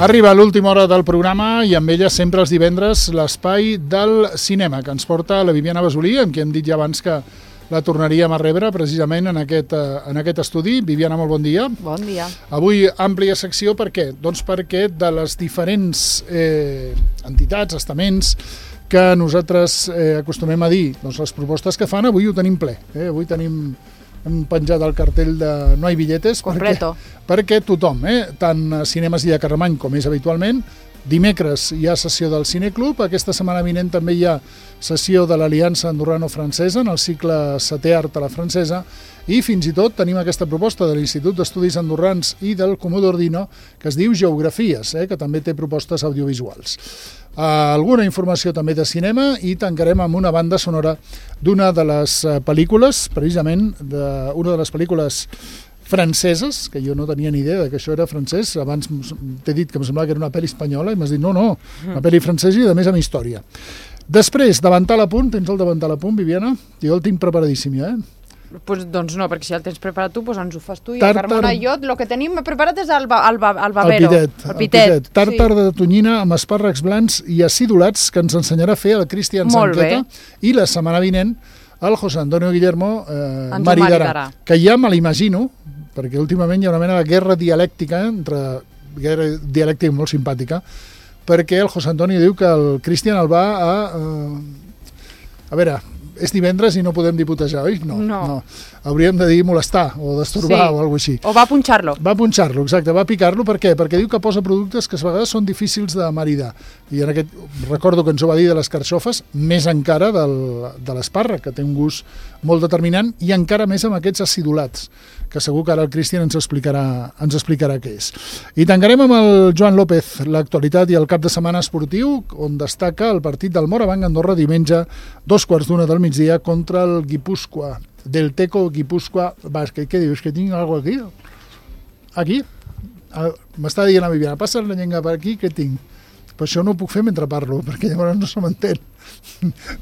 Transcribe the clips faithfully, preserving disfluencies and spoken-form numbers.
Arriba l'última hora del programa i amb ella sempre els divendres l'espai del cinema que ens porta la Viviana Basolí, amb qui hem dit ja abans que la tornaríem a rebre precisament en aquest, en aquest estudi. Viviana, molt bon dia. Bon dia. Avui àmplia secció, per què? Doncs perquè de les diferents eh, entitats, estaments que nosaltres eh, acostumem a dir, doncs les propostes que fan, avui ho tenim ple. Eh? Avui tenim... hem penjat el cartell de No hay billetes perquè, perquè tothom, eh, tant a Cinemes Illa Carlemany com és habitualment, dimecres hi ha sessió del Cineclub, aquesta setmana vinent també hi ha sessió de l'Aliança Andorrano-Francesa en el cicle setè art a la francesa i fins i tot tenim aquesta proposta de l'Institut d'Estudis Andorrans i del Comú d'Ordino que es diu Geografies, eh, que també té propostes audiovisuals. Uh, alguna informació també de cinema i tancarem amb una banda sonora d'una de les uh, pel·lícules, precisament d'una de les pel·lícules franceses, que jo no tenia ni idea que això era francès, abans t'he dit que em semblava que era una pel·li espanyola i m'has dit no, no, una pel·li francesa i a més amb història. Després, davantal a punt, tens el davantal a punt, Viviana? Jo el tinc preparadíssim ja, eh? Pues, doncs no, perquè si el tens preparat tu, doncs ens ho fas tu i Tàrtar... Carmona i jo, el que tenim preparat és el, ba, el, ba, el babero. El pitet. El pitet. El pitet. Tàrtar sí. de tonyina amb espàrrecs blancs i acidulats que ens ensenyarà a fer el Cristian Sanqueta i la setmana vinent el José Antonio Guillermo eh, maridarà, que ja me l'imagino, perquè últimament hi ha una mena de guerra dialèctica, entre guerra dialèctica molt simpàtica, perquè el José Antonio diu que el Cristian el va a... Eh, a veure... és divendres i no podem diputejar, oi? No, no. no. Hauríem de dir molestar o destorbar sí. o alguna cosa així. O va punxar-lo. Va punxar-lo, exacte, va picar-lo. Per què? Perquè diu que posa productes que a vegades són difícils de maridar. I en aquest, recordo que ens ho va dir de les carxofes, més encara del, de l'espàrrec, que té un gust molt determinant, i encara més amb aquests acidulats, que segur que ara el Cristian ens explicarà, ens explicarà què és. I tancarem amb el Joan López, l'actualitat i el cap de setmana esportiu, on destaca el partit del Morabanc Andorra diumenge, dos quarts d'una del migdia, contra el Guipúscoa, del Teco Guipúscoa Bàsquet. Què dius, que tinc alguna cosa aquí? Aquí? M'està dient la Viviana, passa la llengua per aquí, què tinc? Però això no ho puc fer mentre parlo, perquè llavors no se m'entén.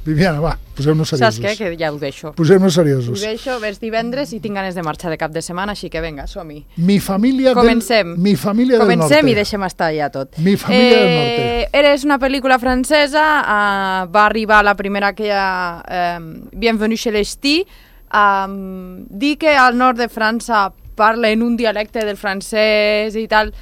Viviana, va, posem-nos seriosos. Saps què? Que ja ho deixo. Posem-nos seriosos. Ho deixo, ves divendres i tinc ganes de marxar de cap de setmana, així que vinga, som-hi. Mi família Comencem. del, mi família del norte. Comencem i deixem estar ja tot. Mi família eh, del norte. Eres una pel·lícula francesa, uh, va arribar la primera que hi ha, uh, Bienvenue chez les Ch'tis. Um, dir que al nord de França parlen un dialecte del francès i tal,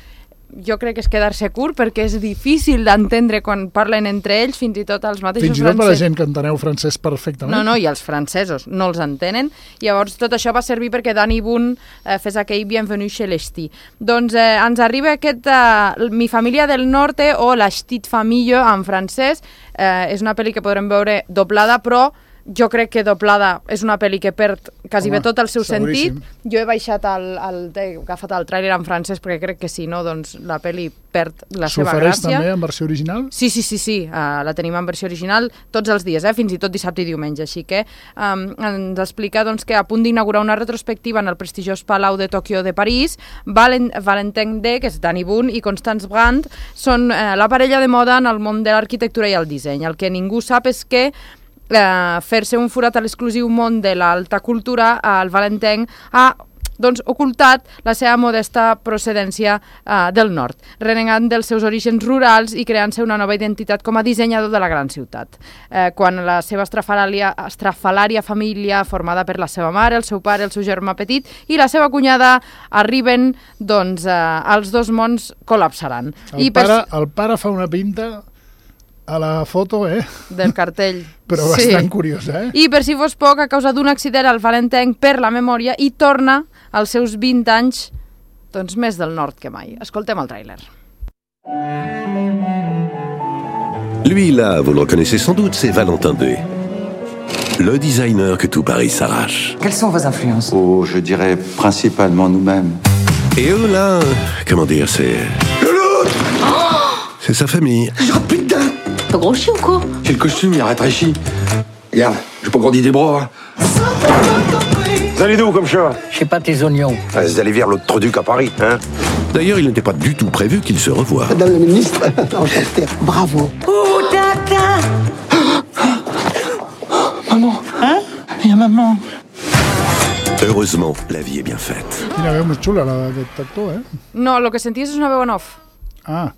jo crec que és quedar-se curt perquè és difícil d'entendre quan parlen entre ells, fins i tot els mateixos francesos. Fins i tot per la gent que enteneu francès perfectament. No, no, i els francesos no els entenen. Llavors tot això va servir perquè Danny Boone eh, fes aquell Bienvenue chez les Ch'tis. Doncs eh, ens arriba aquest eh, Mi família del norte o La Petite Famille en francès. Eh, és una pel·li que podrem veure doblada, però jo crec que doblada és una pel·li que perd quasi bé tot el seu sentit. Jo he baixat el, el, he agafat el tràiler en francès perquè crec que si no, doncs la pel·li perd la seva gràcia. S'ofereix també en versió original? Sí, sí, sí, sí. Uh, la tenim en versió original tots els dies, eh? Fins i tot dissabte i diumenge. Així que um, ens explica doncs, que a punt d'inaugurar una retrospectiva en el prestigiós Palau de Tòquio de París, Valen, Valentin D, que és Danny Boone, i Constance Brandt són uh, la parella de moda en el món de l'arquitectura i el disseny. El que ningú sap és que Uh, fer-se un forat a l'exclusiu món de l'alta cultura, uh, el Valentin ha doncs, ocultat la seva modesta procedència uh, del nord, renegant dels seus orígens rurals i creant-se una nova identitat com a dissenyador de la gran ciutat. Uh, quan la seva estrafalària, estrafalària família, formada per la seva mare, el seu pare, el seu germà petit i la seva cunyada, arriben, doncs, uh, els dos mons col·lapsaran. El, I pare, per... el pare fa una pinta a la foto, eh? Del cartell. Però bastant sí. Curiosa, eh? I per si fos poc, a causa d'un accident, el Valentin perd la memòria i torna als seus vint anys, doncs més del nord que mai. Escoltem el tràiler. Lui, là, vous le reconnaissez sans doute, c'est Valentin D. Le designer que tout Paris s'arrache. Quelles sont vos influences? Oh, je dirais principalement nous-mêmes. Et eux, là, comment dire, c'est... Le loup! Oh, c'est sa famille. Oh putain! T'as grossi ou quoi? J'ai le costume, il a rétréchi. Regarde, j'ai pas grandi des bras. Hein. Vous allez d'où comme ça? Je sais pas tes oignons. Ah, vous allez vers l'autre Troduc à Paris, hein? D'ailleurs, il n'était pas du tout prévu qu'ils se revoient. Madame la ministre, enchantée. Bravo. Oh, tata! Maman! Hein? Il y a maman. Heureusement, la vie est bien faite. Quina veu més xula, la d'aquest actor, eh? No, el que senties és una veu en off. Ah,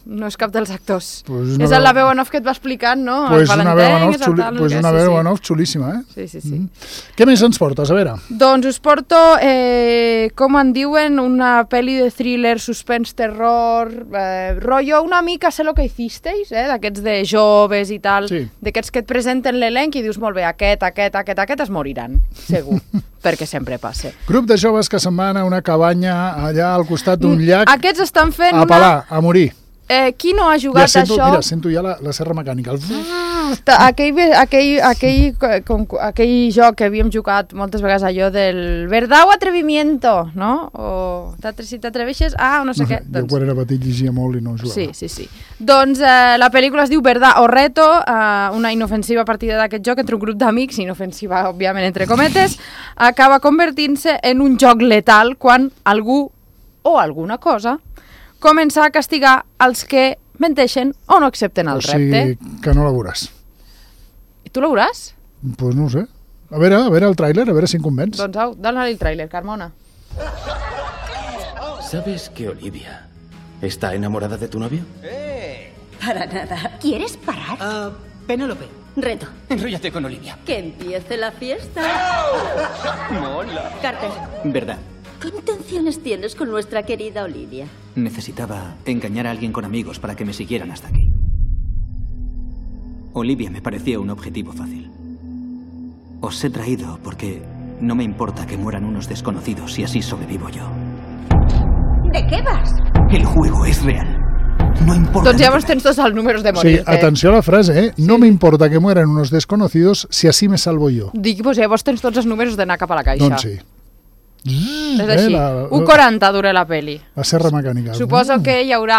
No és cap dels actors. Pues és veu... la veu en off que et va explicant, no? Pues una veu en off, tal, xuli... pues una sí, veu sí. en off xulíssima, eh? Sí, sí, sí. Mm. Què més ens portes? A veure. Doncs us porto, eh, com en diuen, una pel·li de thriller, suspens, terror, eh, rotllo una mica sé lo que hicisteis, eh? D'aquests de joves i tal, sí. D'aquests que et presenten l'elenc i dius molt bé, aquest, aquest, aquest, aquest es moriran, segur, perquè sempre passa. Grup de joves que se'n van a una cabanya allà al costat d'un llac. Aquests estan fent a pelar, una... a morir. Eh, qui no ha jugat ja sento, això? Mira, sento ja la, la serra mecànica. El... Aquell, aquell, aquell, com, aquell joc que havíem jugat moltes vegades, allò del verdad o atrevimiento, no? O si t'atreveixes, ah, o no sé no, què. Jo doncs... quan era petit llegia molt i no jugava. Sí, sí, sí. Doncs eh, la pel·lícula es diu Verdad o Reto, eh, una inofensiva partida d'aquest joc entre un grup d'amics, inofensiva, òbviament, entre cometes, acaba convertint-se en un joc letal quan algú o alguna cosa comença a castigar els que menteixen o no accepten el o sigui, repte. Que no la veuràs. I tu la veuràs? Doncs pues no ho sé. A veure, a veure el tràiler, a veure si em convenç. Doncs au, dale el tràiler, Carmona. ¿Sabes que Olivia está enamorada de tu novio? ¡Eh! Para nada. ¿Quieres parar? Uh, Penélope. Reto. Enróllate con Olivia. Que empiece la fiesta. Mola. Carter. ¿Verdad? ¿Qué intenciones tienes con nuestra querida Olivia? Necesitaba engañar a alguien con amigos para que me siguieran hasta aquí. Olivia me parecía un objetivo fácil. Os he traído porque no me importa que mueran unos desconocidos si así sobrevivo yo. ¿De qué vas? El juego es real. No importa. Doncs llavors tens tots els números de morir-te. Sí, atenció a la frase, eh? No me importa que mueran unos desconocidos si así me salvo yo. Dic, doncs llavors tens tots els números d'anar cap a la caixa. Doncs sí. Mm, és així. Eh, la... u quaranta dura la peli. La serra mecànica. Suposo mm. que hi haurà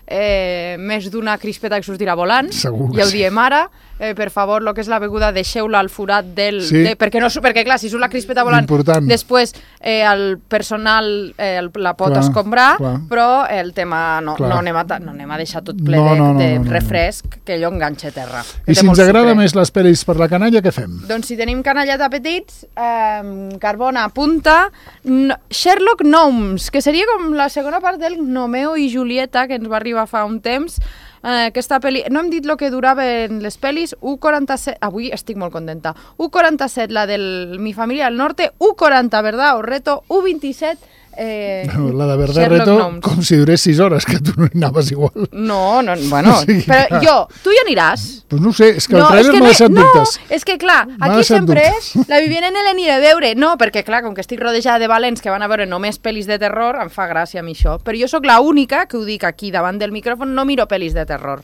eh, més d'una crispeta que sortirà volant. Segur ja ho sí. diem ara. Eh, per favor, el que és la beguda, deixeu-la al forat del... Sí. De, perquè, no, perquè, clar, si surt la crispeta volant, important. Després eh, el personal eh, el, la pot clar, escombrar, clar. Però el tema no, no, anem a, no anem a deixar tot ple no, no, no, de, de no, no, refresc, no. Que allò enganxa a terra. I si ens agrada més les pel·lis per la canalla, què fem? Doncs si tenim canallet apetits, eh, Carbona apunta no, Sherlock Gnomes, que seria com la segona part del Romeo i Julieta, que ens va arribar fa un temps. Eh, aquesta pel·li, no hem dit el que duraven les pel·lis, u quaranta-set, avui estic molt contenta, u quaranta-set la del Mi Familia del Norte, u quaranta, Verdad o Reto, u vint-i-set, eh, la de Verdad Reto, Gnomes. Com si durés sis hores, que tu no hi anaves igual. No, no, bueno, o sigui, però clar. Jo, tu hi aniràs? Pues no ho sé, és que el no, trailer m'ha deixat no, dubtes. No, és que clar, aquí sempre és, la Viviana N l'aniré a veure, no, perquè clar, com que estic rodejada de valents que van a veure només pel·lis de terror, em fa gràcia a mi això, però jo sóc l'única que ho dic aquí davant del micròfon, no miro pel·lis de terror,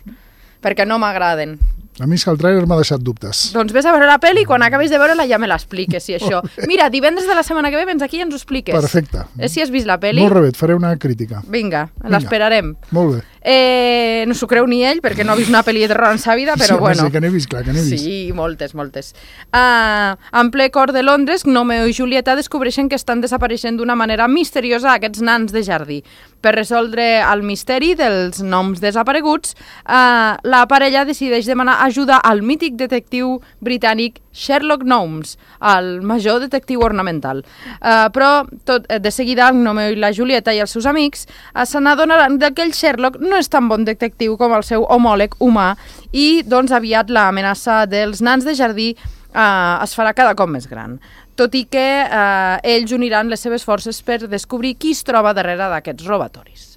perquè no m'agraden. A mi és que el trailer m'ha deixat dubtes. Doncs vés a veure la pel·li i quan acabis de veure-la ja me l'expliques, si això. Mira, divendres de la setmana que ve vens aquí i ens ho expliques. Perfecte. Eh, si has vist la pel·li? Molt rebé, et faré una crítica. Vinga, l'esperarem. Molt bé. Eh, no s'ho creu ni ell, perquè no ha vist una pel·li de terror en sa vida, però sí, bueno. Sí, que n'he vist, clar, que n'he vist. Sí, moltes, moltes. Uh, en ple cor de Londres, Romeo i Julieta descobreixen que estan desapareixent d'una manera misteriosa aquests nans de jardí. Per resoldre el misteri dels noms desapareguts, uh, la parella decideix demanar ajuda al mític detectiu britànic Sherlock Gnomes, el major detectiu ornamental. Uh, però tot, de seguida el Romeo i la Julieta i els seus amics uh, se n'adonaran que el Sherlock no és tan bon detectiu com el seu homòleg humà i doncs aviat l'amenaça dels nans de jardí uh, es farà cada cop més gran. Tot i que uh, ells uniran les seves forces per descobrir qui es troba darrere d'aquests robatoris.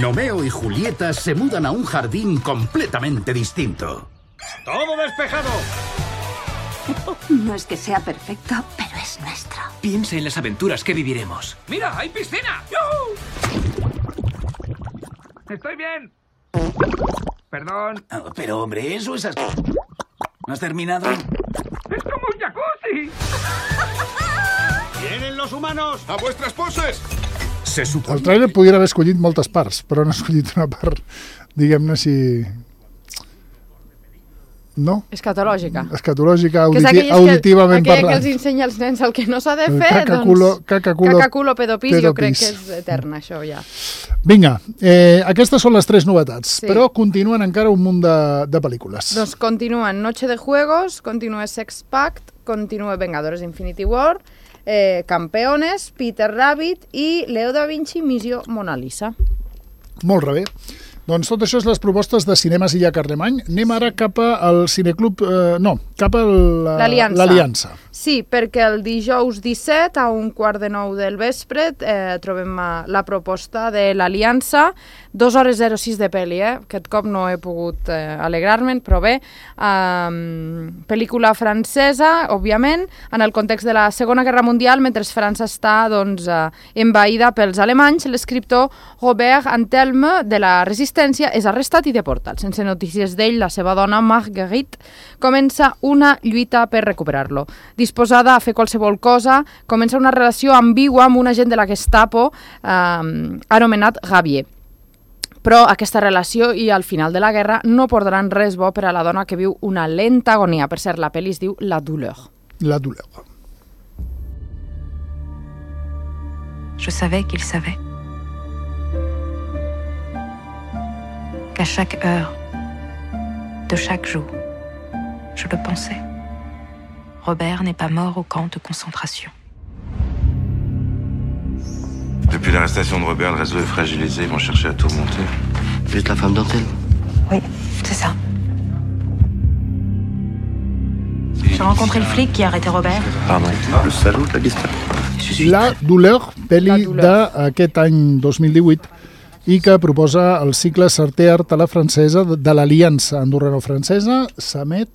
Romeo y Julieta se mudan a un jardín completamente distinto. ¡Todo despejado! No es que sea perfecto, pero es nuestro. Piensa en las aventuras que viviremos. ¡Mira, hay piscina! ¡Yuhu! ¡Estoy bien! Perdón. Oh, pero, hombre, eso es así. ¿No has terminado? ¡Es como un jacuzzi! ¡Vienen los humanos! ¡A vuestras poses! Se suposa... El trailer podria haver escollit moltes parts, però no ha escollit una part, diguem-ne, si... No? Escatològica. Escatològica, auditi auditivament que, parlant. Aquella que els ensenya als nens el que no s'ha de fer, cacaculo, doncs... Cacaculo, cacaculo pedopis, pedopis, jo crec que és etern, això, ja. Vinga, eh, aquestes són les tres novetats, sí. Però continuen encara un munt de, de pel·lícules. Doncs continuen Noche de Juegos, continua Sex Pact, continua Vengadores Infinity War, eh, Campeones, Peter Rabbit i Leo da Vinci, Missió Mona Lisa. Molt rebé. Doncs tot això és les propostes de Cinemes Illa Carlemany. Anem ara cap al Cineclub... Eh, no, cap a l'Aliança. Sí, perquè el dijous disset a un quart de nou del vespre eh, trobem la proposta de l'Aliança, dos hores zero sis de pel·li, eh? Aquest cop no he pogut eh, alegrar-me'n, però bé, eh, pel·lícula francesa, òbviament, en el context de la Segona Guerra Mundial, mentre França està doncs, eh, envaïda pels alemanys, l'escriptor Robert Antelme de la Resistència és arrestat i deportat. Sense notícies d'ell, la seva dona, Marguerite, comença una lluita per recuperar-lo. Disposada a fer qualsevol cosa, comença una relació ambigua amb un agent de la Gestapo eh, anomenat Gavier. Però aquesta relació i al final de la guerra no portaran res bo per a la dona que viu una lenta agonia. Per cert, la pel·li es diu La douleur. La douleur. Je savais qu'il savait. Qu'à chaque heure, de chaque jour, je le pensais. Robert n'est pas mort au camp de concentration. Depuis l'arrestation de Robert, le réseau est fragilisé. Ils vont chercher à tout remonter. Vous êtes la femme d'Antel? Oui, c'est ça. J'ai rencontré le flic qui a arrêté Robert. Pardon, le salaud de la Gestapo. La douleur, pel·li d'aquest any dos mil divuit, i que proposa el cicle Sarté Art a la francesa de l'Aliança andorrano-francesa. S'emet...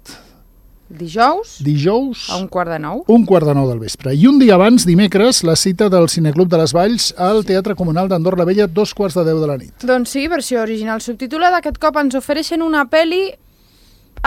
Dijous, Dijous a un quart de nou. Un quart de nou del vespre. I un dia abans, dimecres, la cita del Cineclub de les Valls al Teatre Comunal d'Andorra la Vella, dos quarts de deu de la nit. Doncs sí, versió original subtitulada. Aquest cop ens ofereixen una pel·li...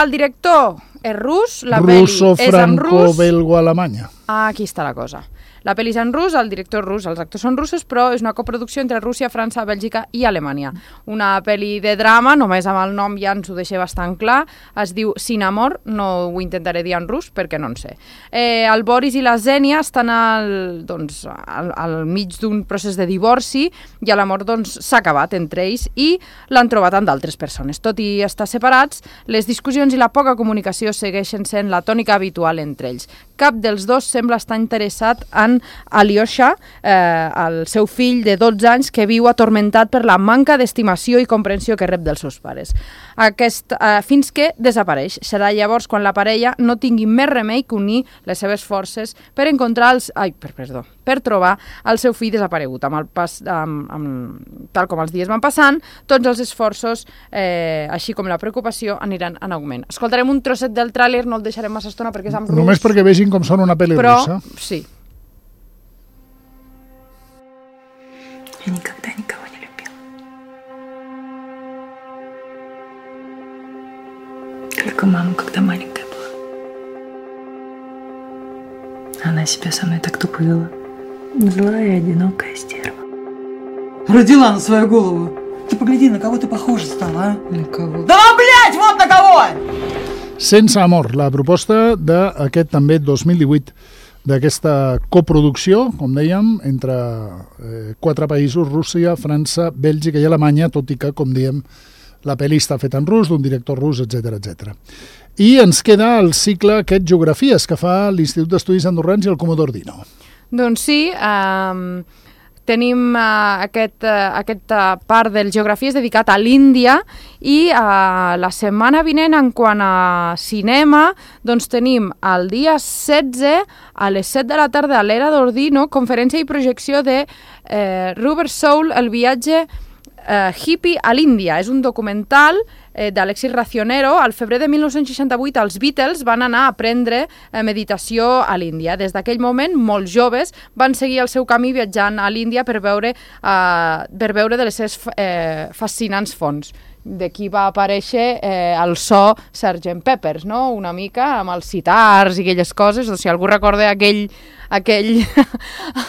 El director és rus, la pel·li és en rus. Russo-franco-belgo-alemanya. Ah, aquí està la cosa. La pel·li és en rus, el director rus, els actors són russos, però és una coproducció entre Rússia, França, Bèlgica i Alemanya. Una pel·li de drama, només amb el nom ja ens ho deixa bastant clar, es diu Sin amor, no ho intentaré dir en rus perquè no en sé. Eh, el Boris i la Zènia estan al, doncs, al, al mig d'un procés de divorci i l'amor doncs, s'ha acabat entre ells i l'han trobat amb d'altres persones. Tot i estar separats, les discussions i la poca comunicació segueixen sent la tònica habitual entre ells. Cap dels dos sembla estar interessat en Alyosha, eh, el seu fill de dotze anys que viu atormentat per la manca d'estimació i comprensió que rep dels seus pares. Aquest, eh, fins que desapareix. Serà llavors quan la parella no tingui més remei que unir les seves forces per encontrar els... Ai, per, perdó, per trobar el seu fill desaparegut. Amb el pas, amb, amb, tal com els dies van passant, tots els esforços, eh, així com la preocupació, aniran en augment. Escoltarem un trosset del tràiler, no el deixarem massa estona perquè és en rus. Només perquè vegin com són una pel·li però, russa. Sí. Я никогда никого не любила. Только маму, когда маленькая была. Она себя со мной так тупо вела. Злая и одинокая стерва. Родила на свою голову. Ты погляди, на кого ты похожа стала, а? На кого? Да, блядь, вот на кого! Sense amor, la proposta d'aquest també dos mil divuit, d'aquesta coproducció, com dèiem, entre eh, quatre països, Rússia, França, Bèlgica i Alemanya, tot i que, com dèiem, la pel·li està feta en rus, d'un director rus, etcètera, etcètera. I ens queda el cicle aquest Geografies que fa l'Institut d'Estudis Andorrans i el Comodor Dino. Doncs sí, eh, tenim uh, aquest, uh, aquesta part del Geografies dedicat a l'Índia i uh, la setmana vinent, en quant a cinema, doncs tenim el dia setze a les set de la tarda a l'Era d'Ordino, conferència i projecció de eh, Rubber Soul, el viatge eh, hippie a l'Índia. És un documental eh, d'Alexis Racionero. Al febrer de mil nou-cents seixanta-vuit els Beatles van anar a aprendre eh, meditació a l'Índia. Des d'aquell moment, molts joves van seguir el seu camí viatjant a l'Índia per veure, eh, per veure de les seves eh, fascinants fonts. D'aquí va aparèixer eh, el so sergent Peppers, no? Una mica amb els sitars i aquelles coses. O si algú recorda aquell, aquell,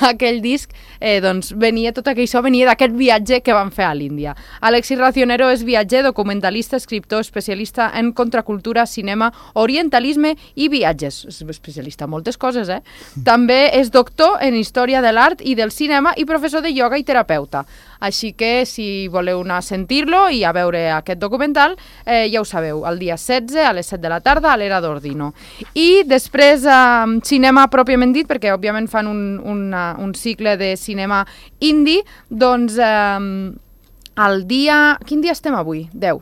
aquell disc, eh, doncs venia, tot aquell so venia d'aquest viatge que van fer a l'Índia. Alexis Racionero és viatger, documentalista, escriptor, especialista en contracultura, cinema, orientalisme i viatges. És especialista en moltes coses, eh? També és doctor en història de l'art i del cinema i professor de ioga i terapeuta. Així que, si voleu anar a sentir-lo i a veure aquest documental, eh, ja ho sabeu, el dia setze a les set de la tarda a l'Era d'Ordino. I després, eh, cinema pròpiament dit, perquè òbviament fan un, una, un cicle de cinema indi, doncs... Eh, el dia... Quin dia estem avui? deu.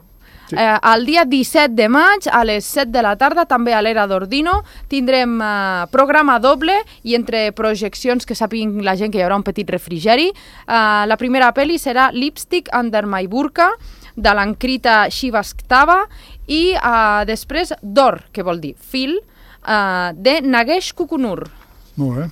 Sí. Eh, el dia disset de maig, a les set de la tarda, també a l'Era d'Ordino, tindrem eh, programa doble i entre projeccions que sàpiguen la gent que hi haurà un petit refrigeri. Eh, la primera pel·li serà Lipstick Under My Burqa, de l'Ankrita Srivastava, i eh, després Dor, que vol dir fil, eh, de Nagesh Kukunur. Molt bé.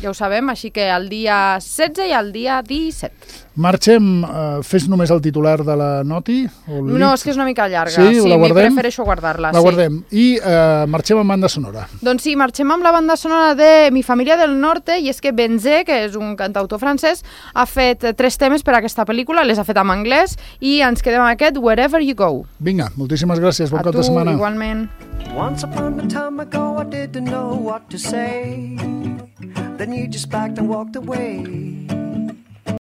Ja ho sabem, així que el dia setze i el dia disset. Marxem, eh, fes només el titular de la noti? O el no, és que és una mica llarga. Sí, sí la guardem? prefereixo guardar-la. La sí. guardem. I eh, marxem amb banda sonora. Doncs sí, marxem amb la banda sonora de Mi Família del Norte, i és que Benzé, que és un cantautor francès, ha fet tres temes per a aquesta pel·lícula, les ha fet en anglès, i ens quedem amb aquest Wherever You Go. Vinga, moltíssimes gràcies, bon a cap de setmana. A tu, igualment. Once upon a time ago I didn't know what to say. Then you just backed and walked away.